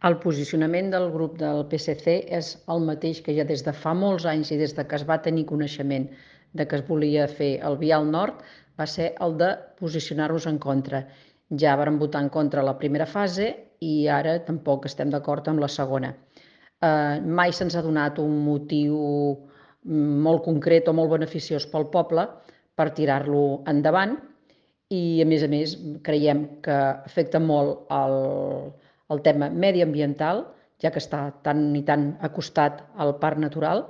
El posicionament del grup del PSC és el mateix que ja des de fa molts anys i des que es va tenir coneixement de que es volia fer el vial nord, va ser el de posicionar-nos en contra. Ja vàrem votar en contra la primera fase i ara tampoc estem d'acord amb la segona. Mai se'ns ha donat un motiu molt concret o molt beneficiós pel poble per tirar-lo endavant i, a més, creiem que afecta molt el tema mediambiental, ja que està tan i tan acostat al parc natural,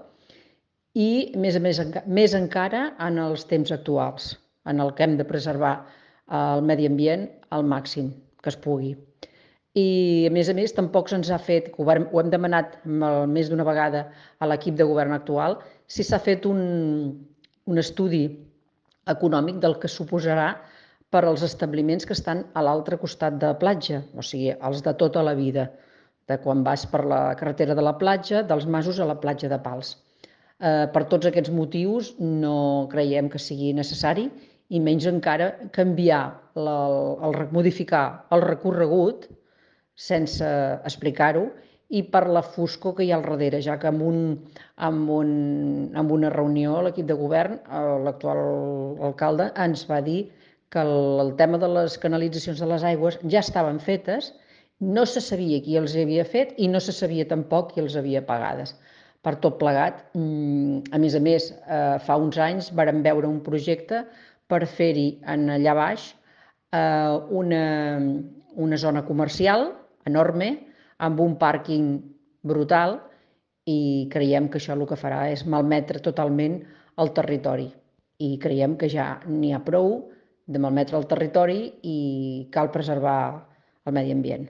i, més encara en els temps actuals, en el que hem de preservar el medi ambient al màxim que es pugui. I, a més, tampoc se'ns ha fet, ho hem demanat més d'una vegada a l'equip de govern actual, si s'ha fet un estudi econòmic del que suposarà per als establiments que estan a l'altre costat de platja, o sigui, els de tota la vida, de quan vas per la carretera de la platja, dels Masos a la platja de Pals. Per tots aquests motius no creiem que sigui necessari i menys encara modificar el recorregut sense explicar-ho i per la foscor que hi ha al darrere, ja que en una reunió a l'equip de govern l'actual alcalde ens va dir que el tema de les canalitzacions de les aigües ja estaven fetes, no se sabia qui els havia fet i no se sabia tampoc qui els havia pagades. Per tot plegat, a més, fa uns anys vàrem veure un projecte per fer-hi allà baix una zona comercial enorme, amb un pàrquing brutal, i creiem que això el que farà és malmetre totalment el territori. I creiem que ja n'hi ha prou de malmetre el territori i cal preservar el medi ambient.